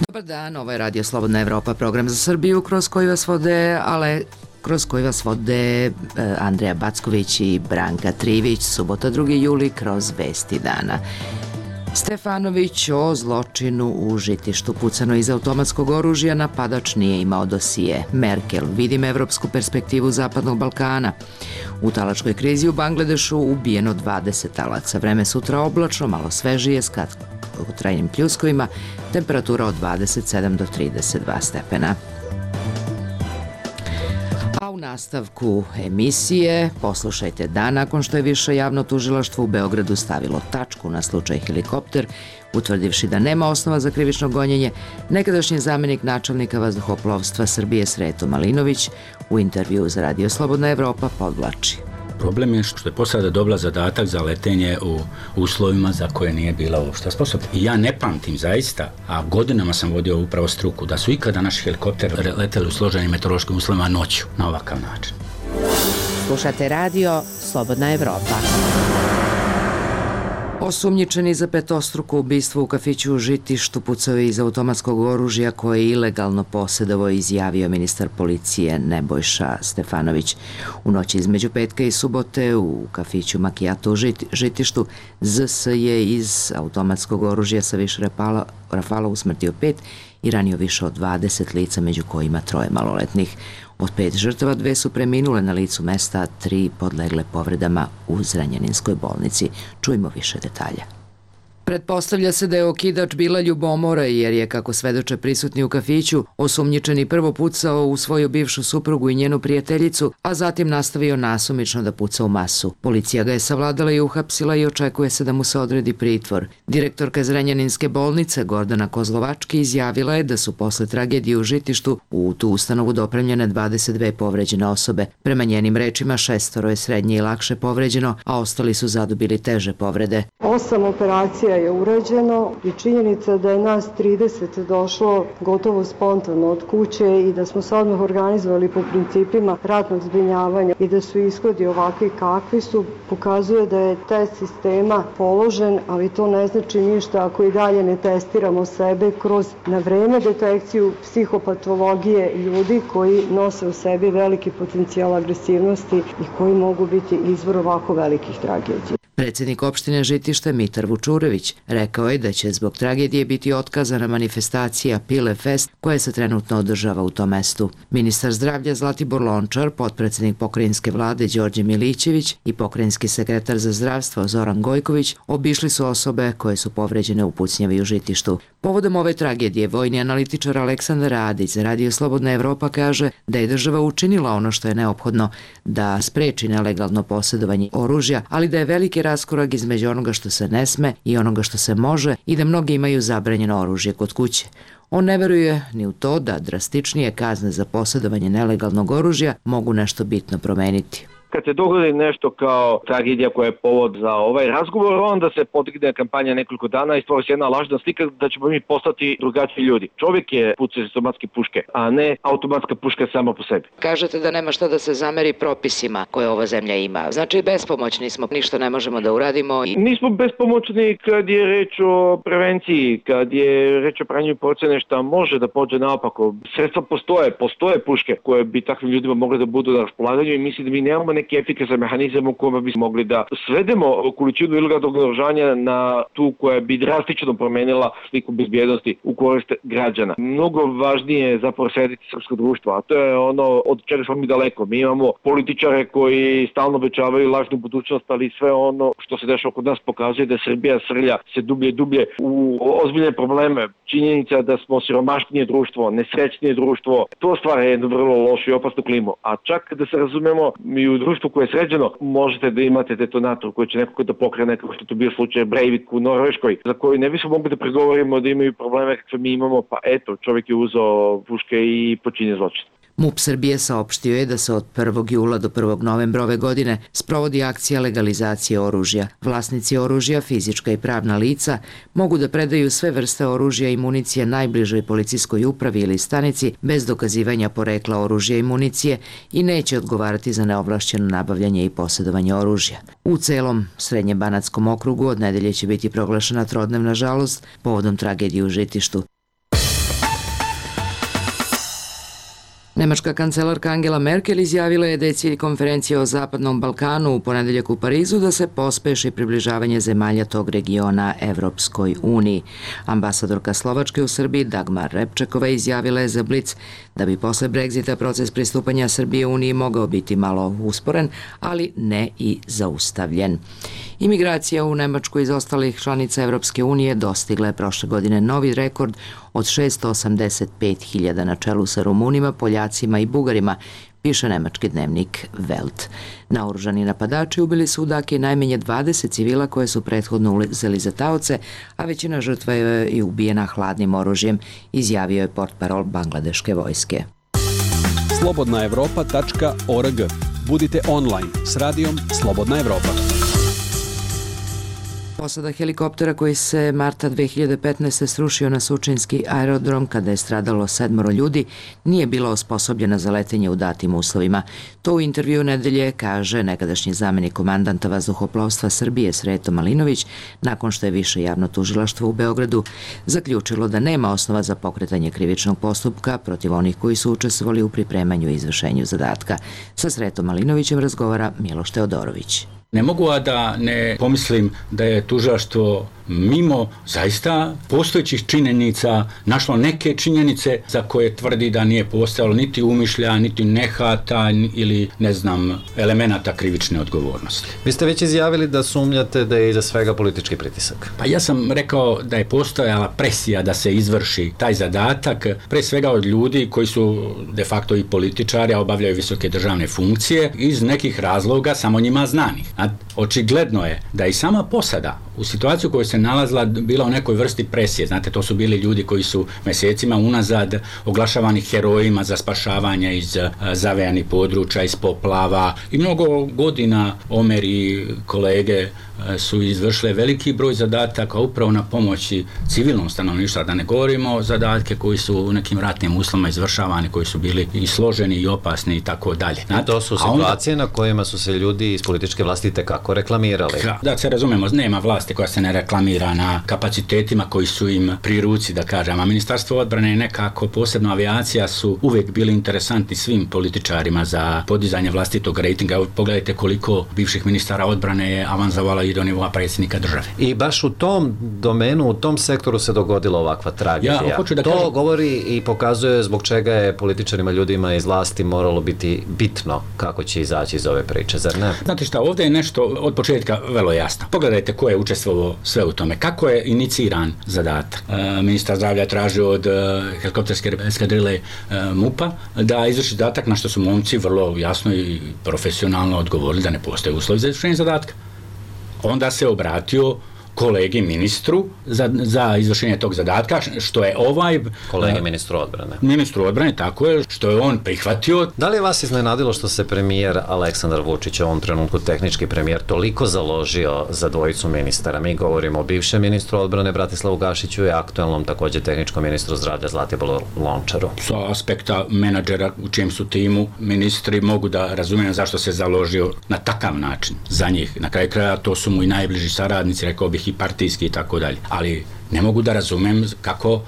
Dobar dan, ovo je Radio Slobodna Evropa, program za Srbiju kroz koji vas vode Andreja Backović i Branka Trivić. Subota 2. juli kroz Vesti dana. Stefanović o zločinu u Žitištu. Pucano iz automatskog oružja, napadač nije imao dosije. Merkel, vidim evropsku perspektivu Zapadnog Balkana. U talačkoj krizi u Bangladešu ubijeno 20 talaca. Vreme sutra oblačno, malo svežije, s kratkotrajnim pljuskovima, temperatura od 27 do 32 stepena. A u nastavku emisije poslušajte da nakon što je Više javno tužilaštvo u Beogradu stavilo tačku na slučaj helikopter, utvrdivši da nema osnova za krivično gonjenje, nekadašnji zamenik načelnika vazduhoplovstva Srbije Sreto Malinović u intervjuu za Radio Slobodna Evropa podvlači. Problem je što je posada dobila zadatak za letenje u uslovima za koje nije bila uopšte sposobna. I ja ne pamtim zaista, a godinama sam vodio upravo struku, da su ikada naši helikopteri leteli u složenim meteorološkim uslovima noću na ovakav način. Slušate Radio Slobodna Evropa. Osumnjičeni za petostruko ubistvo u kafiću u Žitištu pucao je iz automatskog oružja koje je ilegalno posedovao, izjavio ministar policije Nebojša Stefanović. U noći između petka i subote u kafiću Makijato u Žitištu ZS je iz automatskog oružja sa više rafala usmrtio 5 i ranio više od 20 lica, među kojima 3 maloletnih. Od 5 žrtava 2 su preminule na licu mesta, a 3 podlegle povredama u Zrenjaninskoj bolnici. Čujmo više detalja. Pretpostavlja se da je okidač bila ljubomora, jer je, kako svedoče prisutni u kafiću, osumnjičeni prvo pucao u svoju bivšu suprugu i njenu prijateljicu, a zatim nastavio nasumično da puca u masu. Policija ga je savladala i uhapsila i očekuje se da mu se odredi pritvor. Direktorka Zrenjaninske bolnice Gordana Kozlovački izjavila je da su posle tragedije u Žitištu u tu ustanovu dopremljene 22 povređene osobe. Prema njenim rečima 6 je srednje i lakše povređeno, a ostali su zadobili teže povrede. 8 operacija je urađeno i činjenica da je nas 30 došlo gotovo spontano od kuće i da smo se odmah organizovali po principima ratnog zbrinjavanja i da su ishodi ovakvi kakvi su, pokazuje da je test sistema položen, ali to ne znači ništa ako i dalje ne testiramo sebe kroz na vreme detekciju psihopatologije ljudi koji nose u sebi veliki potencijal agresivnosti i koji mogu biti izvor ovako velikih tragedija. Predsjednik opštine Žitište Mitar Vučurević rekao je da će zbog tragedije biti otkazana manifestacija Pile Fest koja se trenutno održava u tom mestu. Ministar zdravlja Zlatibor Lončar, potpredsjednik pokrajinske vlade Đorđe Milićević i pokrajinski sekretar za zdravstvo Zoran Gojković obišli su osobe koje su povređene u pucnjavi u Žitištu. Povodom ove tragedije vojni analitičar Aleksandar Radić za Radio Slobodna Evropa kaže da je država učinila ono što je neophodno da spreči nelegalno posjedovanje oružja, ali da je veliki raskorak između onoga što se ne sme i onoga što se može i da mnogi imaju zabranjeno oružje kod kuće. On ne veruje ni u to da drastičnije kazne za posjedovanje nelegalnog oružja mogu nešto bitno promeniti. Kad se dogodi nešto kao tragedija koja je povod za ovaj razgovor, onda se podigne kampanja nekoliko dana i stvori se jedna lažna slika da ćemo mi postati drugačiji ljudi. Čovjek je pucao iz automatske puške, a ne automatska puška sama po sebi. Kažete da nema šta da se zameri propisima koje ova zemlja ima. Znači bespomoćni smo, ništa ne možemo da uradimo. Nismo bespomoćni kad je reč o prevenciji, kad je reč o pranju procene šta može da pođe naopako. Sredstva postoje puške koje bi takvim ljudima mogli da budu na raspolaganju i mislim da mi nemamo neki efikasan mehanizam u kojima bi mogli da svedemo količinu ilegalnog naoružanja na tu koja bi drastično promenila sliku bezbjednosti u korist građana. Mnogo važnije je zapravo srediti srpsko društvo, a to je ono od čega smo mi daleko. Mi imamo političare koji stalno obećavaju lažnu budućnost, ali sve ono što se dešava kod nas pokazuje da Srbija srlja se dublje i dublje u ozbiljne probleme. Činjenica da smo siromašnije društvo, nesrećnije društvo, to stvara jednu vrlo lošu i opasnu klimu. A čak da se razumemo, i u društvu koje je sređeno, možete da imate detonator koji će nekako da pokrene, kao što to bio slučaj Breivik u Norveškoj, za koju ne bismo mogli da pregovorimo da imaju probleme kakve mi imamo, pa eto, čovjek je uzeo puške i počinio zločin. MUP Srbije saopštio je da se od 1. jula do 1. novembra ove godine sprovodi akcija legalizacije oružja. Vlasnici oružja, fizička i pravna lica, mogu da predaju sve vrste oružja i municije najbližoj policijskoj upravi ili stanici bez dokazivanja porekla oružja i municije i neće odgovarati za neovlašćeno nabavljanje i posjedovanje oružja. U celom Srednjebanatskom okrugu od nedelje će biti proglašena trodnevna žalost povodom tragedije u Žitištu. Nemačka kancelarka Angela Merkel izjavila je da je cilj konferencije o Zapadnom Balkanu u ponedeljak u Parizu da se pospeši približavanje zemalja tog regiona Evropskoj uniji. Ambasadorka Slovačke u Srbiji Dagmar Repčekova izjavila je za Blic da bi posle Brexita proces pristupanja Srbije Uniji mogao biti malo usporen, ali ne i zaustavljen. Imigracija u Nemačku iz ostalih članica Evropske unije dostigla je prošle godine novi rekord od 685.000 na čelu sa Rumunima, Poljacima i Bugarima, piše nemački dnevnik Welt. Naoružani napadači ubili su u Daki najmanje 20 civila koje su prethodno uzeli za taoce, a većina žrtva je i ubijena hladnim oružjem, izjavio je portparol bangladeške vojske. slobodnaevropa.org. Budite online s radijom Slobodna Evropa. Posada helikoptera koji se marta 2015. srušio na Surčinski aerodrom kada je stradalo 7 ljudi nije bila osposobljena za letenje u datim uslovima. To u intervju nedelje kaže nekadašnji zamenik komandanta vazduhoplovstva Srbije Sreto Malinović nakon što je više javno tužilaštvo u Beogradu zaključilo da nema osnova za pokretanje krivičnog postupka protiv onih koji su učestvovali u pripremanju i izvršenju zadatka. Sa Sretom Malinovićem razgovara Miloš Teodorović. Ne mogu a da ne pomislim da je tužilaštvo mimo zaista postojećih činjenica našlo neke činjenice za koje tvrdi da nije postojalo niti umišlja, niti nehata ili ne znam elemenata krivične odgovornosti. Vi ste već izjavili da sumnjate da je iza svega politički pritisak. Pa ja sam rekao da je postojala presija da se izvrši taj zadatak, pre svega od ljudi koji su de facto i političari, a obavljaju visoke državne funkcije iz nekih razloga samo njima znanih. A očigledno je da i sama posada u situaciju koju se nalazila bila u nekoj vrsti presije. Znate, to su bili ljudi koji su mjesecima unazad oglašavani herojima za spašavanje iz zavejanih područja, iz poplava i mnogo godina Omer i kolege su izvršile veliki broj zadataka upravo na pomoći civilnom stanovništvu, da ne govorimo o zadatke koji su u nekim ratnim uslovima izvršavani, koji su bili i složeni i opasni i tako dalje. I to su situacije na kojima su se ljudi iz političke vlasti tekako reklamirali. Da se razumemo, nema vlasti koja se ne reklamira na kapacitetima koji su im pri ruci, da kažem, a Ministarstvo odbrane i nekako posebno avijacija su uvijek bili interesantni svim političarima za podizanje vlastitog rejtinga. Pogledajte koliko bivših ministara odbrane je avanzovalo i do nivoa predsjednika države. I baš u tom domenu, u tom sektoru se dogodila ovakva tragedija. To govori i pokazuje zbog čega je političarima, ljudima iz vlasti moralo biti bitno kako će izaći iz ove priče, zar ne? Znate šta, ovdje je nešto od početka vrlo jasno. Pogledajte ko je učestvovao sve u tome. Kako je iniciran zadatak? Ministar zdravlja tražio od helikopterske eskadrile MUP-a da izvrši zadatak, na što su momci vrlo jasno i profesionalno odgovorili da ne postoje uslovi za izvršenje zadatka. Onda se obratio kolegi ministru za izvršenje tog zadatka, što je kolegi ministru odbrane. Ministru odbrane, tako je, što je on prihvatio. Da li je vas iznenadilo što se premijer Aleksandar Vučić, u ovom trenutku tehnički premijer, toliko založio za dvojicu ministara? Mi govorimo o bivšem ministru odbrane Bratislavu Gašiću i aktualnom također tehničkom ministru zdravlja Zlatiboru Lončaru. Sa aspekta menadžera u čijem su timu ministri mogu da razumijem zašto se založio na takav način za njih. Na kraju kraja to su mu i najbliži saradnici, rekao bih i partijski i tako dalje. Ali ne mogu da razumem kako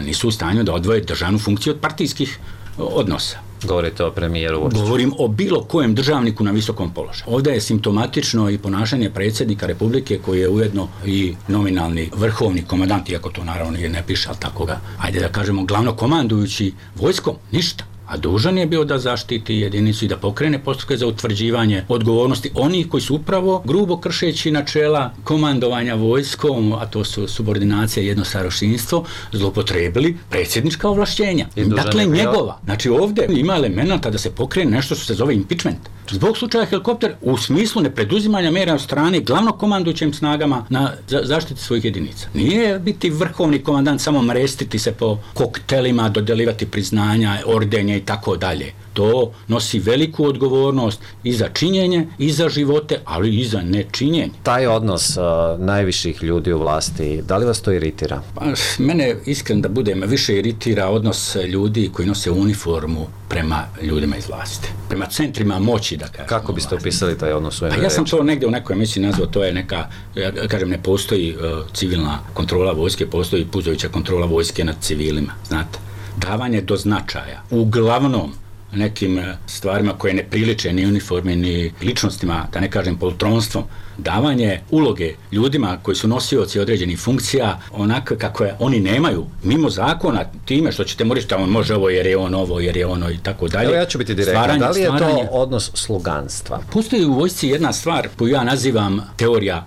nisu u stanju da odvoje državnu funkciju od partijskih odnosa. Govorite o premijeru Vučiću. Govorim o bilo kojem državniku na visokom položaju. Ovdje je simptomatično i ponašanje predsjednika Republike koji je ujedno i nominalni vrhovni komandant, iako to naravno ne piše, ali tako ga, ajde da kažemo, glavno komandujući vojskom, ništa. A dužan je bio da zaštiti jedinicu i da pokrene postupke za utvrđivanje odgovornosti onih koji su upravo grubo kršeći načela komandovanja vojskom, a to su subordinacija i jednostarošinstvo, zloupotrebili predsjednička ovlašćenja. Dakle, njegova. Znači, ovdje ima elemenata da se pokrene nešto što se zove impeachment. Zbog slučaja helikopter u smislu nepreduzimanja mjera od strane glavnog komandujućim snagama na zaštiti svojih jedinica. Nije biti vrhovni komandant samo mrestiti se po koktelima, dodeljivati priznanja, ordenje i tako dalje. To nosi veliku odgovornost i za činjenje, i za živote, ali i za nečinjenje. Taj odnos najviših ljudi u vlasti, da li vas to iritira? Pa, mene, iskreno da budem, više iritira odnos ljudi koji nose uniformu prema ljudima iz vlasti. Prema centrima moći, da kažem. Kako biste opisali taj odnos u jednoj reči? Ja sam to negdje u nekoj emisiji nazvao, to je neka, ja kažem, ne postoji civilna kontrola vojske, postoji puzajuća kontrola vojske nad civilima, znate. Davanje do značaja, uglavnom nekim stvarima koje ne priliče ni uniformi, ni ličnostima, da ne kažem poltronstvom, davanje uloge ljudima koji su nosioci određenih funkcija onako kako je oni nemaju, mimo zakona, time što ćete morati da on može ovo jer je on ovo, jer je ono i tako dalje. Evo ja ću biti direktan, da li je to odnos sluganstva? Postoji u vojsci jedna stvar koju ja nazivam teorija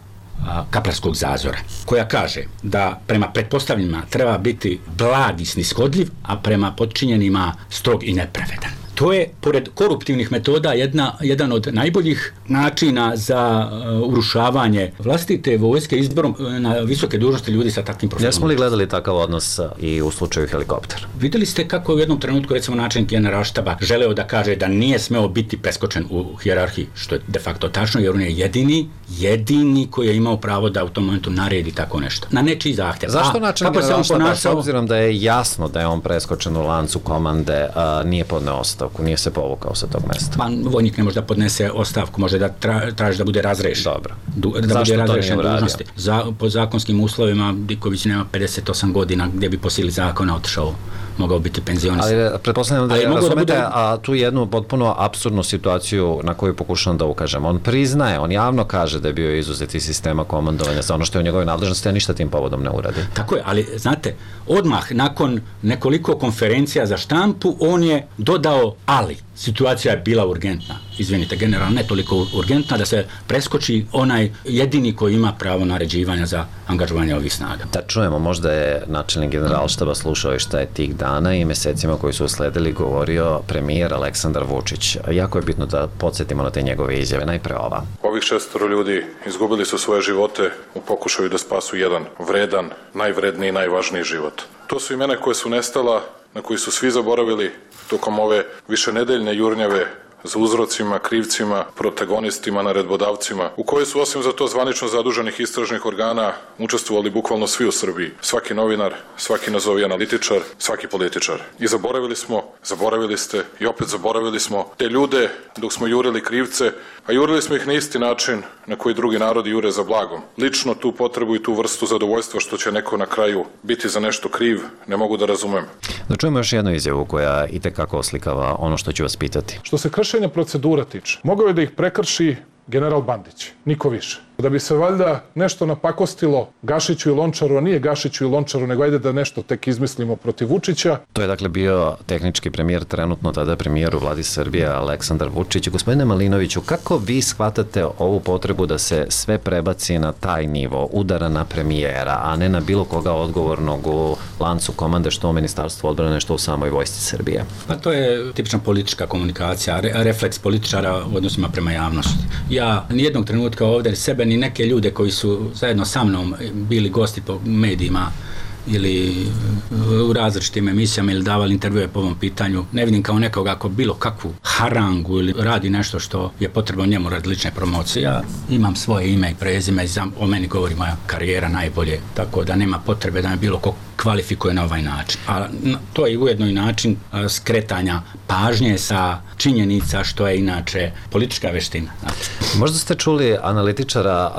kaplarskog zazora, koja kaže da prema pretpostavljenima treba biti blag i snishodljiv, a prema podčinjenima strog i nepravedan. To je, pored koruptivnih metoda, jedan od najboljih načina za urušavanje vlastite vojske izborom na visoke dužnosti ljudi sa takvim profilom. Jesmo li gledali takav odnos i u slučaju helikoptera? Videli ste kako u jednom trenutku, recimo, načelnik Generalštaba želeo da kaže da nije smeo biti preskočen u hijerarhiji, što je de facto tačno, jer on je jedini koji je imao pravo da u tom momentu naredi tako nešto. Na nečiji zahtjev. Zašto načelnik Generalštaba, s obzirom da je jasno da je on preskočen u lancu komande, nije podneo ostavku, nije se povukao sa tog mesta? Pa vojnik ne može da podnese ostavku, može da traži da bude razrešen. Dobro. Da bude razrešen dužnosti. Po zakonskim uslovima Diković nema 58 godina gdje bi po sili zakona otišao, mogao biti penzionisan. Ali pretpostavljam da je razumete, a tu jednu potpuno apsurdnu situaciju na koju pokušam da ukažem. On priznaje, on javno kaže da je bio izuzet iz sistema komandovanja za ono što je u njegovoj nadležnosti, a ništa tim povodom ne uradi. Tako je, ali znate, odmah nakon nekoliko konferencija za štampu, on je dodao ali. Situacija je bila urgentna, izvinite, generalno ne toliko urgentna da se preskoči onaj jedini koji ima pravo naređivanja za angažovanje ovih snaga. Da čujemo, možda je načelnik Generalštaba slušao i šta je tih dana i mesecima koji su usledili govorio premijer Aleksandar Vučić. Jako je bitno da podsjetimo na te njegove izjave. Najpre ova. Ovih 6 ljudi izgubili su svoje živote u pokušaju da spasu jedan vredan, najvredniji i najvažniji život. To su imena koje su nestala, na koji su svi zaboravili tokom ove višenedeljne jurnjave za uzrocima, krivcima, protagonistima, naredbodavcima, u kojoj su osim za to zvanično zaduženih istražnih organa učestvovali bukvalno svi u Srbiji. Svaki novinar, svaki nazovi analitičar, svaki političar. I zaboravili ste i opet zaboravili smo te ljude dok smo jurili krivce, a jurili smo ih na isti način na koji drugi narodi jure za blagom. Lično tu potrebu i tu vrstu zadovoljstva što će neko na kraju biti za nešto kriv, ne mogu da razumem. Da čujemo još jednu izjavu koja itekako oslikava ono što ću vas pitati. Što se kršenja procedura tiče, mogao je da ih prekrši general Bandić, niko više. Da bi se valjda nešto napakostilo Gašiću i Lončaru, a nije Gašiću i Lončaru, nego ajde da nešto tek izmislimo protiv Vučića. To je dakle bio tehnički premijer, trenutno tada premijer u vladi Srbije, Aleksandar Vučić. Gospodine Malinoviću, kako vi shvatate ovu potrebu da se sve prebaci na taj nivo udara na premijera, a ne na bilo koga odgovornog u lancu komande, što u Ministarstvu odbrane, što u samoj vojsci Srbije? Pa to je tipična politička komunikacija, refleks političara u odnosima prema javnosti. Ja nijednog trenutka ovdje sebe ni neke ljude koji su zajedno sa mnom bili gosti po medijima ili u različitim emisijama ili davali intervjue po ovom pitanju, ne vidim kao nekoga ako bilo kakvu harangu ili radi nešto što je potrebno njemu radi lične promocije. Ja imam svoje ime i prezime, o meni govori moja karijera najbolje, tako da nema potrebe da me bilo ko kvalifikuje na ovaj način. A to je ujedno i način skretanja pažnje sa činjenica što je inače politička veština. Možda ste čuli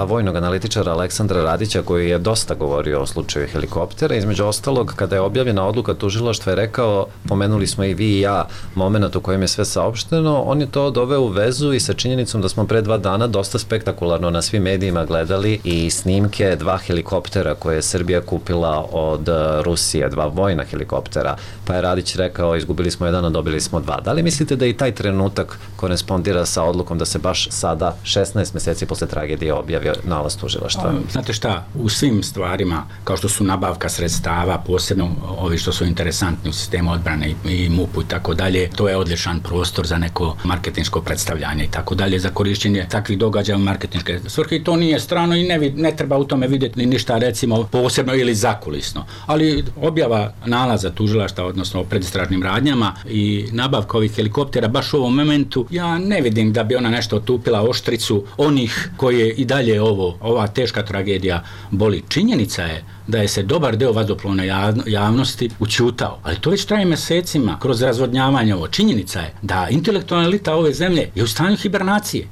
vojnog analitičara Aleksandra Radića koji je dosta govorio o slučaju helikoptera. Između ostalog, kada je objavljena odluka tužilaštva, je rekao, pomenuli smo i vi i ja moment u kojem je sve saopšteno, on je to doveo u vezu i sa činjenicom da smo pre 2 dana dosta spektakularno na svim medijima gledali i snimke 2 helikoptera koje je Srbija kupila od Rusije, 2 vojna helikoptera, pa je Radić rekao, izgubili smo 1, a dobili smo 2. Da li mislite da i taj trenutak korespondira sa odlukom da se baš sada, 16 meseci posle tragedije, objavio nalaz tužilaštva? Znate šta, u svim stvarima, kao što su nabavka sredstava, posebno ovi što su interesantni u sistemu odbrane i MUP-u i tako dalje, to je odličan prostor za neko marketinško predstavljanje i tako dalje, za korišćenje takvih događaja u marketinške svrhe, i to nije strano i ne treba u tome vidjeti ništa, recimo, posebno ili zakulisno. Ali objava nalaza tužilaštva, odnosno o predistražnim radnjama i nabavka ovih helikoptera baš u ovom momentu, ja ne vidim da bi ona nešto otupila oštricu onih koje i dalje ova teška tragedija boli. Činjenica je da je se dobar deo vazduhoplovne javnosti ućutao, ali to već traje mesecima kroz razvodnjavanje ovo. Činjenica je da intelektualna elita ove zemlje je u stanju hibernacije.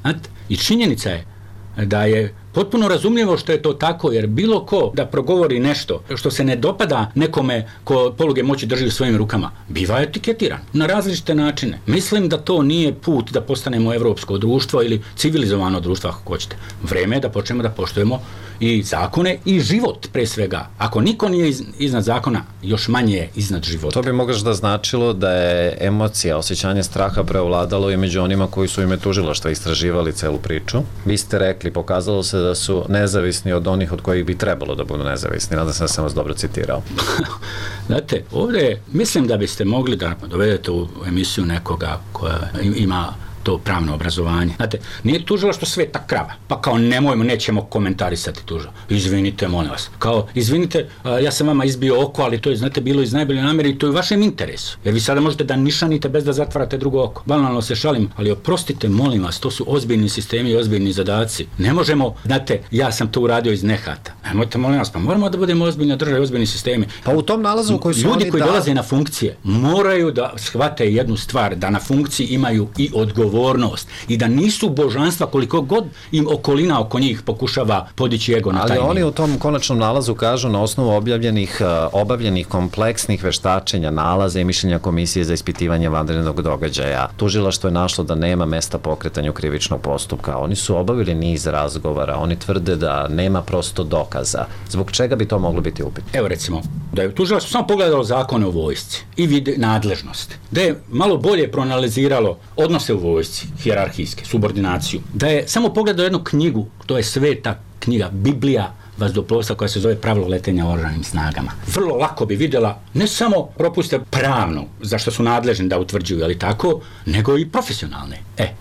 I činjenica je da je potpuno razumljivo što je to tako, jer bilo ko da progovori nešto što se ne dopada nekome ko poluge moći drži u svojim rukama, biva etiketiran na različite načine. Mislim da to nije put da postanemo evropsko društvo ili civilizovano društvo, ako hoćete. Vreme je da počnemo da poštujemo i zakone i život pre svega. Ako niko nije iznad zakona, još manje je iznad života. To bi moglo da značilo da je emocija, osjećanje straha preovladalo i među onima koji su ime tužilaštva istraživali celu priču. Vi ste rekli, pokazalo se da su nezavisni od onih od kojih bi trebalo da budu nezavisni. Nadam se da sam vas dobro citirao. Znate, ovdje mislim da biste mogli da dovedete u emisiju nekoga koja ima to pravno obrazovanje. Znate, nije tužilaštvo sveta krava, pa kao nećemo komentarisati tužilaštvo. Izvinite, molim vas. Kao, izvinite, ja sam vama izbio oko, ali to je, znate, bilo iz najbolje namere i to je u vašem interesu. Jer vi sada možete da nišanite bez da zatvarate drugo oko. Banalno se šalim, ali oprostite, molim vas, to su ozbiljni sistemi i ozbiljni zadaci. Ne možemo, znate, ja sam to uradio iz nehata. Nemojte, molim vas, pa moramo da budemo ozbiljna država i ozbiljni sistemi. Pa u tom nalazu koji su ljudi koji dolaze na funkcije moraju da shvate jednu stvar, da na funkciji imaju i odgovornost i da nisu božanstva koliko god im okolina oko njih pokušava podići ego na taj nivo. Ali oni u tom konačnom nalazu kažu na osnovu obavljenih kompleksnih veštačenja, nalaza i mišljenja Komisije za ispitivanje vanrednog događaja. Tužilaštvo je našlo da nema mesta pokretanju krivičnog postupka. Oni su obavili niz razgovora, oni tvrde da nema prosto dokaza. Zbog čega bi to moglo biti upitno? Evo recimo, da je tužilaštvo samo pogledalo zakone o vojsci i vide nadležnost, da je malo bolje proanaliziralo odnose u vojsci, hijerarhijske, subordinaciju, da je samo pogledao jednu knjigu, to je sveta knjiga, Biblija vazduhoplovstva koja se zove Pravilo letenja u oružanim snagama. Vrlo lako bi vidjela ne samo propuste pravnu, za što su nadležni da utvrđuju, ali tako, nego i profesionalne.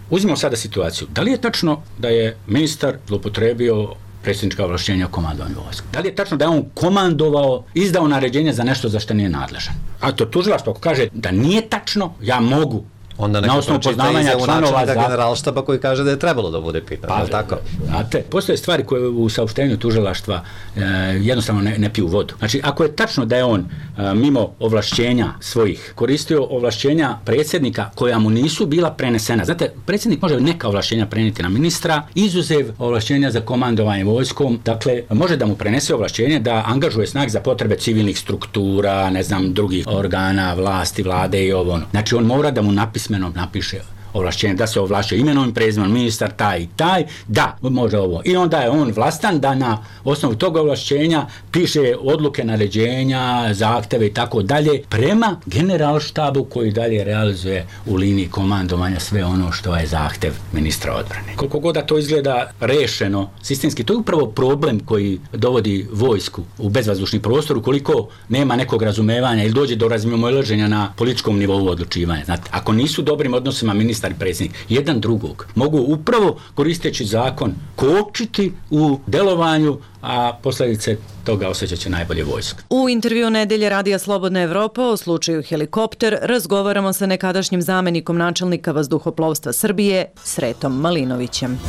Uzmimo sada situaciju. Da li je tačno da je ministar zloupotrebio predsjednička ovlašćenja o komandovanju vojske? Da li je tačno da je on komandovao, izdao naređenje za nešto za što nije nadležan? A to tužilaštvo ako kaže da nije tačno, ja mogu onda na osnovu poznavanja članova generalštaba koji kaže da je trebalo da bude pitan, je li tako? Znate, postoje stvari koje u saopštenju tužilaštva jednostavno ne piju vodu. Znači, ako je tačno da je on mimo ovlašćenja svojih koristio ovlašćenja predsjednika koja mu nisu bila prenesena. Znate, predsjednik može neka ovlašćenja prenijeti na ministra, izuzev ovlašćenja za komandovanje vojskom, dakle, može da mu prenese ovlašćenje da angažuje snag za potrebe civilnih struktura, ne znam, drugih organa, vlasti, vlade i ovo. Znači, on mora da mu napiše ovlašćenje, da se ovlašćuje imenom i prezimenom ministar taj i taj, da, može ovo. I onda je on vlastan da na osnovu tog ovlašćenja piše odluke, naređenja, zahteve i tako dalje prema generalštabu koji dalje realizuje u liniji komandovanja sve ono što je zahtev ministra odbrane. Koliko god da to izgleda rešeno sistemski, to je upravo problem koji dovodi vojsku u bezvazdušni prostor ukoliko nema nekog razumevanja ili dođe do razmimoilaženja na političkom nivou odlučivanja. Znate, ako nisu dobrim odnosima ministar i predsjednik jedan drugog, mogu upravo koristeći zakon kočiti u delovanju, a posljedice toga osjećat će najbolje vojska. U intervju Nedelje Radija Slobodna Evropa o slučaju Helikopter razgovaramo sa nekadašnjim zamenikom načelnika vazduhoplovstva Srbije, Sretom Malinovićem.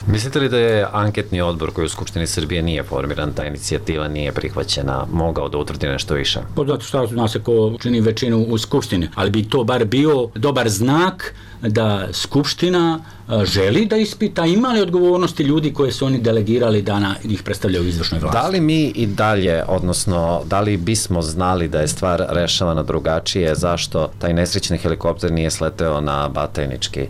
Mislite li da je anketni odbor koji u Skupštini Srbije nije formiran, ta inicijativa nije prihvaćena, mogao da utvrdi nešto više? Zato što zna se ko čini većinu u Skupštini, ali bi to bar bio dobar znak da Skupština želi da ispita ima li odgovornosti ljudi koje su oni delegirali da ih predstavljaju u izvršnoj vlasti. Da li mi i dalje, odnosno da li bismo znali da je stvar rešavana drugačije, zašto taj nesrećni helikopter nije sleteo na Batajnički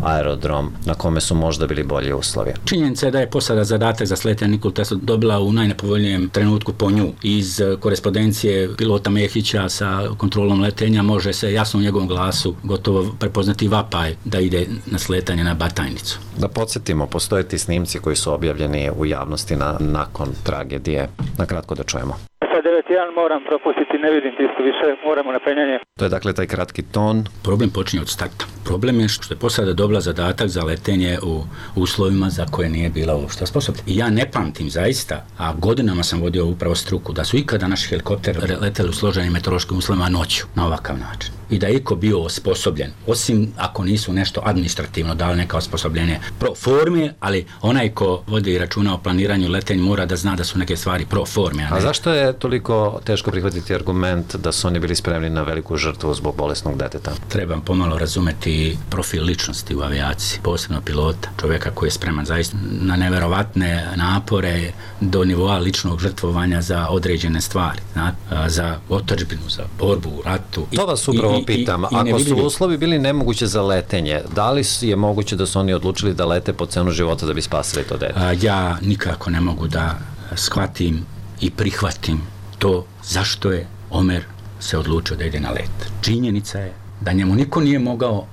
aerodrom na kome su možda bili bolji uslovi? Činjenica je da je posada zadatak za sletanje Nikolu Teslu dobila u najnepovoljnijem trenutku po nju. Iz korespondencije pilota Mehića sa kontrolom letenja može se jasno u njegovom glasu gotovo prepoznati vapaj da ide na sletanje na Batajnicu. Da podsjetimo, postoje ti snimci koji su objavljeni u javnosti nakon tragedije. Na kratko da čujemo. Sa 9.1 moram propustiti, ne vidim tisto više, moramo na penjanje. To je dakle taj kratki ton. Problem počinje od starta. Problem je što je posada dobila zadatak za letenje u uslovima za koje nije bila uopšte sposobna. I ja ne pamtim zaista, a godinama sam vodio upravo struku, da su ikada naši helikopteri leteli u složenim meteorološkim uslovima noću na ovakav način. I da je iko bio osposobljen, osim ako nisu nešto administrativno dali neka osposobljenje pro forme, ali onaj ko vodi računa o planiranju letenja mora da zna da su neke stvari pro forme. A zašto je toliko teško prihvatiti argument da su oni bili spremni na veliku žrtvu zbog bolesnog deteta? Trebam pomalo razumeti i profil ličnosti u avijaciji, posebno pilota, čovjeka koji je spreman zaista na neverovatne napore do nivoa ličnog žrtvovanja za određene stvari, za otadžbinu, za borbu u ratu. To vas upravo pitam, ako su uslovi bili nemoguće za letenje, da li je moguće da su oni odlučili da lete po cenu života da bi spasili to dete? Ja nikako ne mogu da shvatim i prihvatim to zašto je Omer se odlučio da ide na let. Činjenica je da njemu niko nije mogao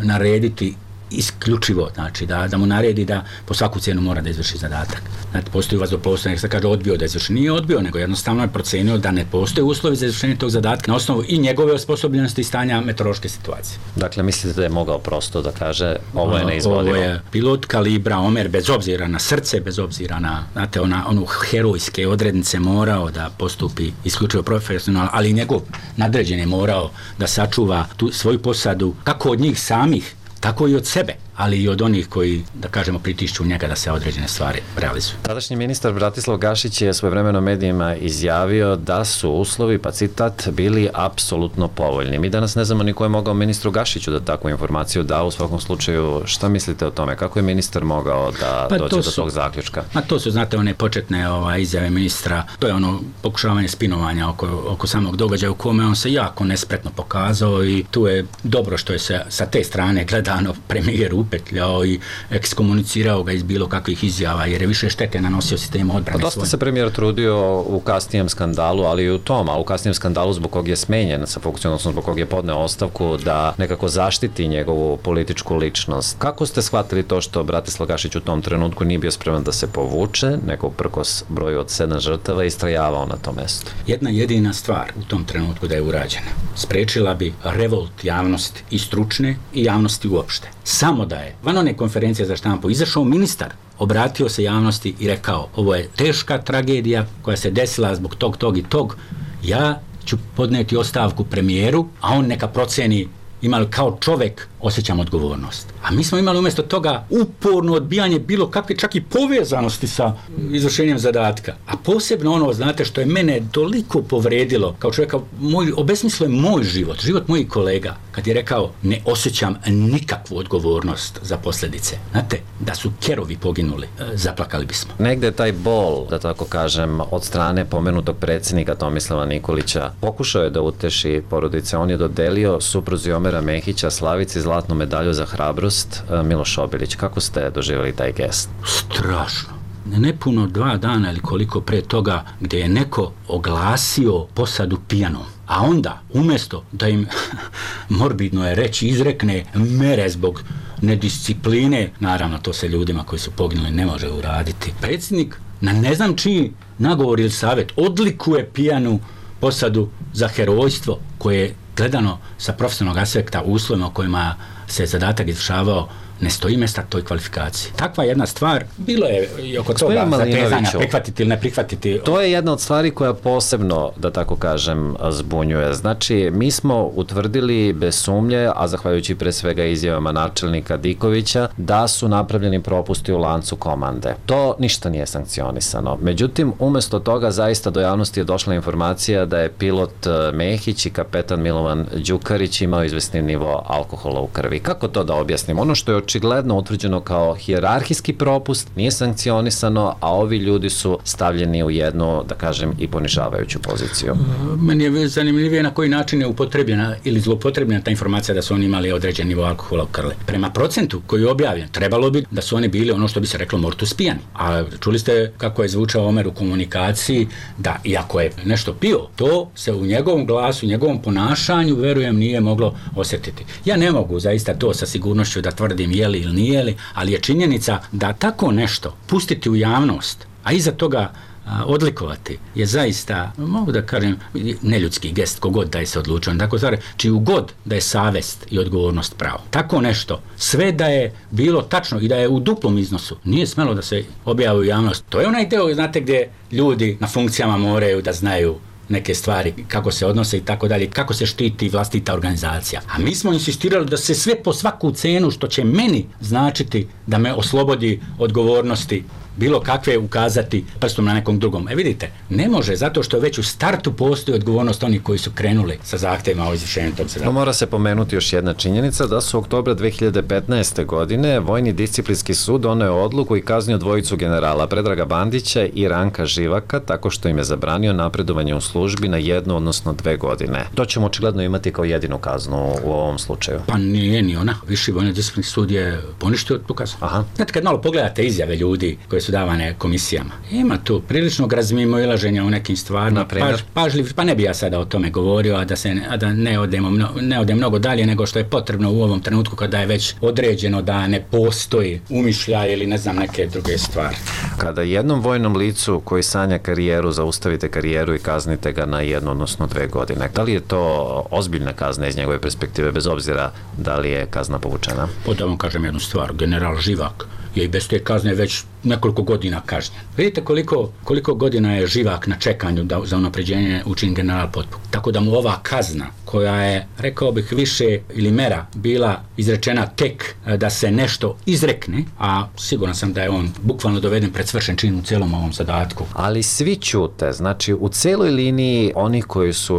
narediti isključivo, znači da mu naredi da po svaku cijenu mora da izvrši zadatak. Znači, postoji vazduhoplovstvo, nek se kaže odbio da izvrši. Nije odbio, nego jednostavno je procenio da ne postoje uslovi za izvršenje tog zadatka na osnovu i njegove osposobljenosti i stanja meteorološke situacije. Dakle, mislite da je mogao prosto da kaže ovo je neizvodivo? Ovo je pilot kalibra Omer, bez obzira na srce, bez obzira na, znate, onu herojske odrednice morao da postupi isključivo profesionalno, ali i njegov nadređen je morao da sačuva tu svoju posadu, kako od njih samih, tako i od sebe, ali i od onih koji, da kažemo, pritišću njega da se određene stvari realizuju. Tadašnji ministar Bratislav Gašić je svojevremeno medijima izjavio da su uslovi, pa citat, bili apsolutno povoljni. Mi danas ne znamo ni ko je mogao ministru Gašiću da takvu informaciju da. U svakom slučaju, šta mislite o tome? Kako je ministar mogao da dođe do tog zaključka? To su, znate, one početne izjave ministra, to je ono pokušavanje spinovanja oko samog događaja u kome on se jako nespretno pokazao i tu je dobro što je se sa te strane gledano premijer upetljao i ekskomunicirao ga iz bilo kakvih izjava, jer je više štete nanosio sistemu odbrane. Dosta se premijer trudio u kasnijem skandalu, ali i u tom, a u kasnijem skandalu zbog kog je smenjen sa funkcijom, odnosno zbog kog je podneo ostavku, da nekako zaštiti njegovu političku ličnost. Kako ste shvatili to što Bratislav Gašić u tom trenutku nije bio spreman da se povuče, nego prkos broju od 7 žrtava i istrajavao na tom mestu? Jedna jedina stvar u tom trenutku da je urađena. Sprečila bi revolt javnosti i stručne i javnosti uopšte. Samo da je van one konferencije za štampu izašao ministar, obratio se javnosti i rekao, ovo je teška tragedija koja se desila zbog tog i tog, ja ću podneti ostavku premijeru, a on neka proceni ima li kao čovek osjećam odgovornost. A mi smo imali umjesto toga uporno odbijanje bilo kakve čak i povezanosti sa izvršenjem zadatka. A posebno ono, znate, što je mene toliko povredilo kao čovjeka, obesmislio je moj život, život mojih kolega, kad je rekao ne osjećam nikakvu odgovornost za posljedice. Znate, da su kerovi poginuli, zaplakali bismo. Negde taj bol, da tako kažem, od strane pomenutog predsjednika Tomislava Nikolića pokušao je da uteši porodice. On je dodelio supruzi Omera Mehića, Slavici, zlatnu medalju za hrabrost. Miloš Obilić, kako ste doživjeli taj gest? Strašno. Nepuno 2 dana ili koliko pre toga gdje je neko oglasio posadu pijanom, a onda umjesto da im morbidno je reći izrekne mere zbog nediscipline, naravno to se ljudima koji su poginuli ne može uraditi, predsjednik na ne znam čiji nagovor ili savjet odlikuje pijanu posadu za herojstvo koje je gledano sa profesionalnog aspekta u uslovima u kojima se zadatak izvršavao ne stoji mjesta toj kvalifikaciji. Takva jedna stvar, bilo je i oko toga zatezanja, prihvatiti ili ne prihvatiti. To je jedna od stvari koja posebno, da tako kažem, zbunjuje. Znači, mi smo utvrdili bez sumnje, a zahvaljujući pre svega izjavama načelnika Dikovića, da su napravljeni propusti u lancu komande. To ništa nije sankcionisano. Međutim, umjesto toga zaista do javnosti je došla informacija da je pilot Mehić i kapetan Milovan Đukarić imao izvesni nivo alkohola u krvi. Kako to da objasnim? Ono što je očigledno utvrđeno kao hijerarhijski propust, nije sankcionisano, a ovi ljudi su stavljeni u jednu, da kažem, i ponižavajuću poziciju. Meni je zanimljivije na koji način je upotrebljena ili zloupotrebljena ta informacija da su oni imali određen nivo alkohola u krvi. Prema procentu koji je objavljen, trebalo bi da su oni bili ono što bi se reklo mortus pijani. A čuli ste kako je zvučao Omer u komunikaciji, da iako je nešto pio, to se u njegovom glasu, u njegovom ponašanju, verujem, nije moglo osjetiti. Ja ne mogu zaista to sa sigurnošću da tvrdim je li ili nije li, ali je činjenica da tako nešto pustiti u javnost, a iza toga odlikovati je zaista, mogu da kažem, neljudski gest kogod da je se odlučio. Tako zare, čiju god da je savest i odgovornost pravo. Tako nešto, sve da je bilo tačno i da je u duplom iznosu, nije smelo da se objavi u javnost. To je onaj deo, znate, gdje ljudi na funkcijama moraju da znaju neke stvari, kako se odnose i tako dalje, kako se štiti vlastita organizacija. A mi smo insistirali da se sve po svaku cenu što će meni značiti da me oslobodi odgovornosti bilo kakve ukazati prstom na nekom drugom. Vidite, ne može, zato što već u startu postoji odgovornost onih koji su krenuli sa zahtevima o izvršenju tog zadatka. Mora se pomenuti još jedna činjenica da su oktobra 2015. godine Vojni disciplinski sud doneo odluku i kaznio dvojicu generala Predraga Bandića i Ranka Živaka tako što im je zabranio napredovanje u službi na 1, odnosno 2 godine. To ćemo očigledno imati kao jedinu kaznu u ovom slučaju. Pa nije ni ona. Viši Vojni disciplinski sud je poništio tu kaznu. Znate, kad malo pogledate izjave ljudi koje su davane komisijama, ima tu priličnog razmimoilaženja u nekim stvarima, pažljiv, pa ne bi ja sada o tome govorio, a da ne odem mnogo dalje nego što je potrebno u ovom trenutku kada je već određeno da ne postoji umišljaj ili ne znam neke druge stvari. Kada jednom vojnom licu koji sanja karijeru zaustavite karijeru i kaznite ga na 1, odnosno 2 godine, da li je to ozbiljna kazna iz njegove perspektive, bez obzira da li je kazna povučena? Da vam kažem jednu stvar, general Živak je i bez te kazne već nekoliko godina kažnjen. Vidite koliko godina je Živak na čekanju za unapređenje učini general Potpuk. Tako da mu ova kazna, koja je, rekao bih, više ili mera bila izrečena tek da se nešto izrekne, a siguran sam da je on bukvalno doveden pred svršen čin u celom ovom zadatku. Ali svi ćute, znači u celoj liniji onih koji su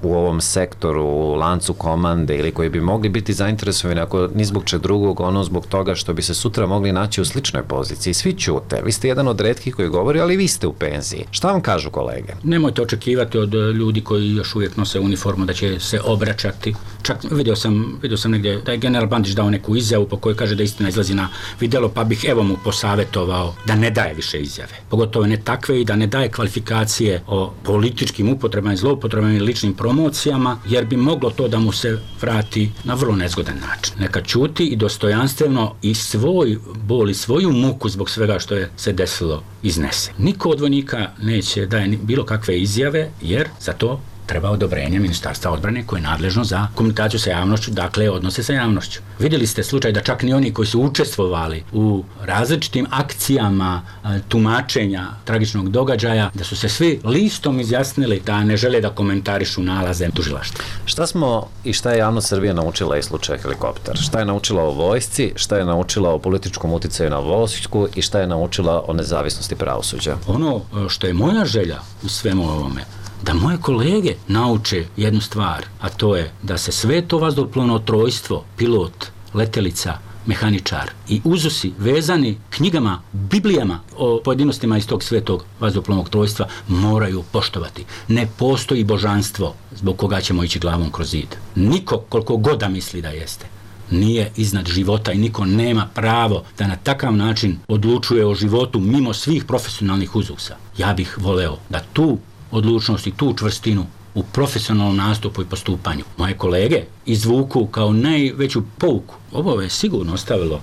u ovom sektoru, u lancu komande ili koji bi mogli biti zainteresovani ako ni zbog čeg drugog, ono zbog toga što bi se sutra mogli naći u sličnoj poziciji. Svi ćute. Vi ste jedan od retkih koji govori, ali vi ste u penziji. Šta vam kažu kolege? Nemojte očekivati od ljudi koji još uvijek nose uniformu da će se obraćati. Čak vidio sam negdje da je general Bandić dao neku izjavu po kojoj kaže da istina izlazi na vidjelo, pa bih evo mu posavjetovao da ne daje više izjave. Pogotovo ne takve i da ne daje kvalifikacije o političkim upotrebama i zloupotrebama i ličnim promocijama, jer bi moglo to da mu se vrati na vrlo nezgodan način. Neka ćuti i dostojanstveno i svoj bol i svoju muku zbog svega što je se desilo iznese. Niko od vojnika neće daje bilo kakve izjave, jer za to treba odobrenje Ministarstva odbrane koje je nadležno za komunikaciju sa javnošću, dakle odnose sa javnošću. Vidjeli ste slučaj da čak ni oni koji su učestvovali u različitim akcijama tumačenja tragičnog događaja, da su se svi listom izjasnili da ne žele da komentarišu nalaze tužilaštva. Šta smo i šta je javnost Srbije naučila iz slučaja helikopter? Šta je naučila o vojsci, šta je naučila o političkom uticaju na vojsku i šta je naučila o nezavisnosti pravosuđa? Ono što je moja želja u svemu ovome, da moje kolege nauče jednu stvar, a to je da se sve to vazduhoplovno trojstvo, pilot, letelica, mehaničar i uzusi vezani knjigama, biblijama o pojedinostima iz tog svetog vazduhoplovnog trojstva moraju poštovati. Ne postoji božanstvo zbog koga ćemo ići glavom kroz zid. Niko, koliko god da misli da jeste, nije iznad života i niko nema pravo da na takav način odlučuje o životu mimo svih profesionalnih uzusa. Ja bih voleo da tu odlučnost i tu čvrstinu u profesionalnom nastupu i postupanju moje kolege izvuku kao najveću pouku. Ovo je sigurno ostavilo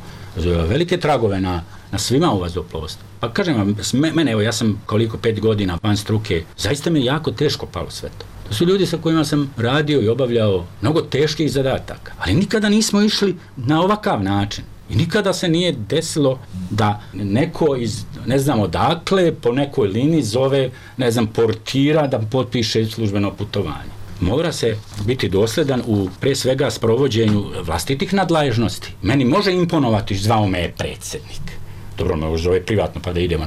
velike tragove na svima u vazduhoplovstvu. Pa kažem vam, mene, evo ja sam koliko 5 godina van struke, zaista mi je jako teško palo sve to. To su ljudi sa kojima sam radio i obavljao mnogo teških zadataka, ali nikada nismo išli na ovakav način. I nikada se nije desilo da neko iz, ne znam odakle, po nekoj liniji zove, ne znam, portira da potpiše službeno putovanje. Mora se biti dosledan u, pre svega, sprovođenju vlastitih nadležnosti. Meni može imponovati, zvao me je predsjednik. Dobro, me zove privatno pa da idemo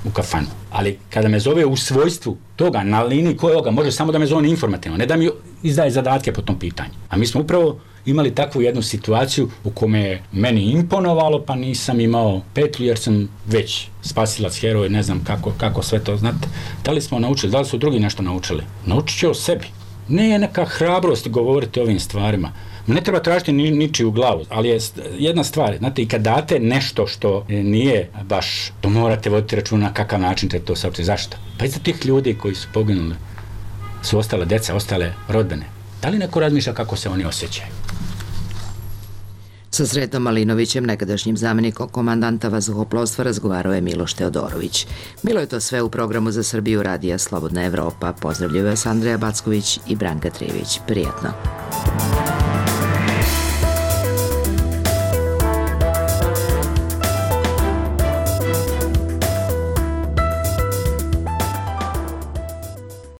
u kafanu. Ali kada me zove u svojstvu toga, na liniji kojoga, može samo da me zove informativno, ne da mi izdaje zadatke po tom pitanju. A mi smo upravo imali takvu jednu situaciju u kome je meni imponovalo, pa nisam imao petlju jer sam već spasilac, heroj, ne znam kako sve to, znate. Da li smo naučili, da li su drugi nešto naučili? Naučit će o sebi. Ne je neka hrabrost govoriti o ovim stvarima. Ne treba tražiti ničiju glavu, ali je jedna stvar, znate, i kad date nešto što nije baš, to morate voditi računa na kakav način ćete to saopštiti. Zašto? Pa iza tih ljudi koji su poginuli su ostale deca, ostale rodbene. Da li neko razmišlja kako se oni osjećaju? Sa Sretom Malinovićem, nekadašnjim zamjenikom komandanta vazduhoplovstva, razgovarao je Miloš Teodorović. Bilo je to sve u programu za Srbiju Radija Slobodna Evropa. Pozdravljaju vas Andreja Backović i Branka Trijević. Prijetno.